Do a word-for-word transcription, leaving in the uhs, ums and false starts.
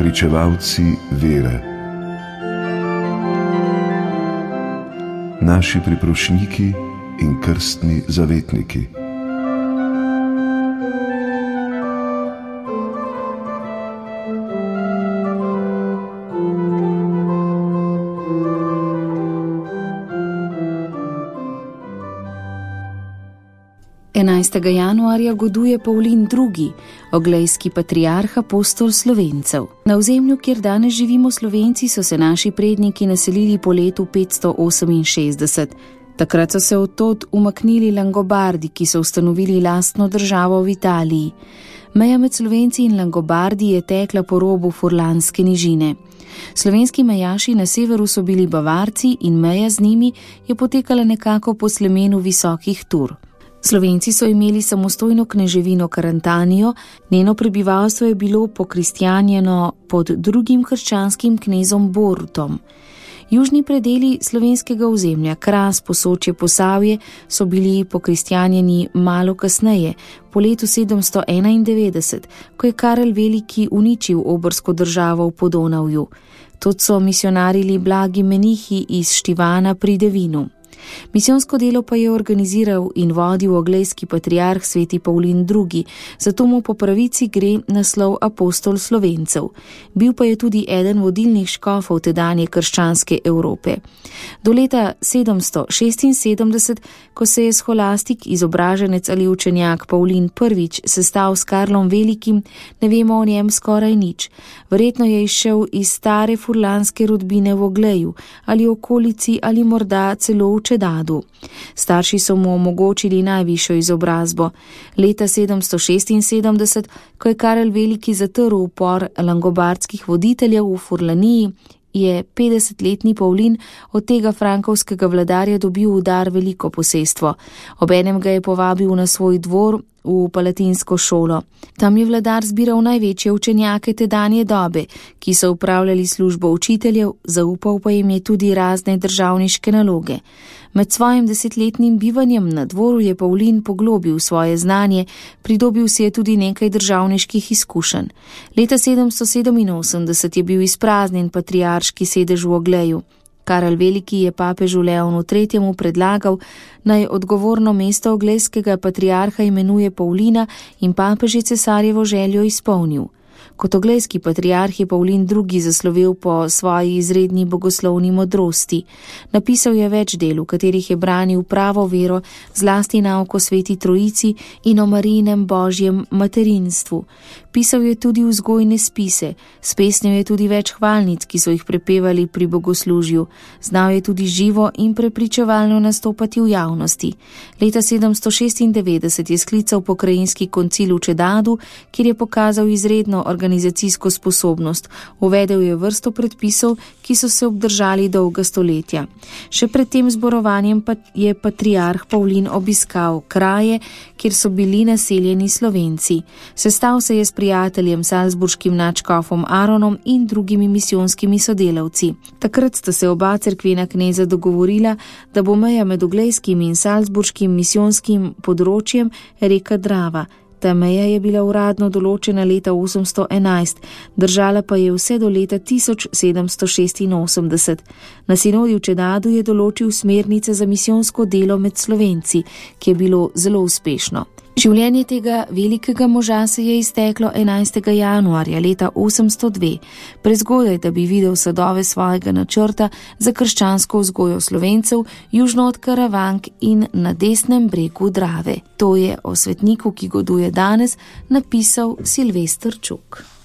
pričevalci vere, naši priprošniki in krstni zavetniki. enajstega januarja goduje Pavlin drugi., oglejski patriarh apostol Slovencev. Na ozemlju, kjer danes živimo Slovenci, so se naši predniki naselili po letu petsto oseminšestdeset. Takrat so se odtod umaknili Langobardi, ki so ustanovili lastno državo v Italiji. Meja med Slovenci in Langobardi je tekla po robu Furlanske nižine. Slovenski mejaši na severu so bili Bavarci in meja z njimi je potekala nekako po slemenu visokih Tur. Slovenci so imeli samostojno kneževino Karantanijo, njeno prebivalstvo je bilo pokristjanjeno pod drugim krščanskim knezom Borutom. Južni predeli slovenskega ozemlja, Kras, Posočje, Posavje, so bili pokristjanjeni malo kasneje, po letu sedemsto enaindevetdeset, ko je Karel Veliki uničil obrsko državo v Podonavju. Tod so misionarili blagi menihi iz Štivana pri Devinu. Misijonsko delo pa je organiziral in vodil oglejski patriarh sveti Pavlin drugi., zato mu po pravici gre naslov apostol Slovencev. Bil pa je tudi eden vodilnih škofov tedanje krščanske Evrope. Do leta sedemsto šestinsedemdeset, ko se je scholastik, izobraženec ali učenjak Pavlin prvič sestal s Karlom Velikim, ne vemo o njem skoraj nič. Verjetno je izšel iz stare furlanske rodbine v Ogleju ali okolici ali morda celo v Čedadu. Starši so mu omogočili najvišjo izobrazbo. Leta sedemsto šestinsedemdeset, ko je Karel Veliki zatrl upor langobardskih voditeljev v Furlaniji, je petdesetletni Pavlin od tega frankovskega vladarja dobil v dar veliko posestvo. Obenem ga je povabil na svoj dvor v palatinsko šolo. Tam je vladar zbiral največje učenjake tedanje dobe, ki so upravljali službo učiteljev, zaupal pa jim je tudi razne državniške naloge. Med svojim desetletnim bivanjem na dvoru je Pavlin poglobil svoje znanje, pridobil si je tudi nekaj državniških izkušenj. Leta sedemsto sedeminosemdeset je bil izpraznjen patriarški sedež v Ogleju. Karel Veliki je papežu Leonu tretjemu predlagal, naj odgovorno mesto oglejskega patriarha imenuje Pavlina, in papež je cesarjevo željo izpolnil. Kot oglejski patriarh je Pavlin drugi. zaslovel po svoji izredni bogoslovni modrosti. Napisal je več del, v katerih je branil pravo vero, zlasti nauko sveti Trojici in o Marijinem božjem materinstvu. Pisal je tudi vzgojne spise, spesnil je tudi več hvalnic, ki so jih prepevali pri bogoslužju. Znal je tudi živo in prepričevalno nastopati v javnosti. Leta sedemsto šestindevetdeset je sklical pokrajinski koncil v Čedadu, kjer je pokazal izredno organizacijsko sposobnost. Uvedel je vrsto predpisov, ki so se obdržali dolga stoletja. Še pred tem zborovanjem pa je patriarh Pavlin obiskal kraje, kjer so bili naseljeni Slovenci. Sestal se je s prijateljem salzburškim nadškofom Aronom in drugimi misijonskimi sodelavci. Takrat sta se oba cerkvena kneza dogovorila, da bo meja med oglejskim in salzburškim misijonskim področjem reka Drava. Ta meja je bila uradno določena leta osemsto enajst, držala pa je vse do leta tisoč sedemsto šestinosemdeset. Na sinodi v Čedadu je določil smernice za misijonsko delo med Slovenci, ki je bilo zelo uspešno. Življenje tega velikega moža se je izteklo enajstega januarja leta osemsto dve, prezgodaj, da bi videl sadove svojega načrta za krščansko vzgojo Slovencev južno od Karavank in na desnem bregu Drave. To je o svetniku, ki goduje danes, napisal Silvester Čuk.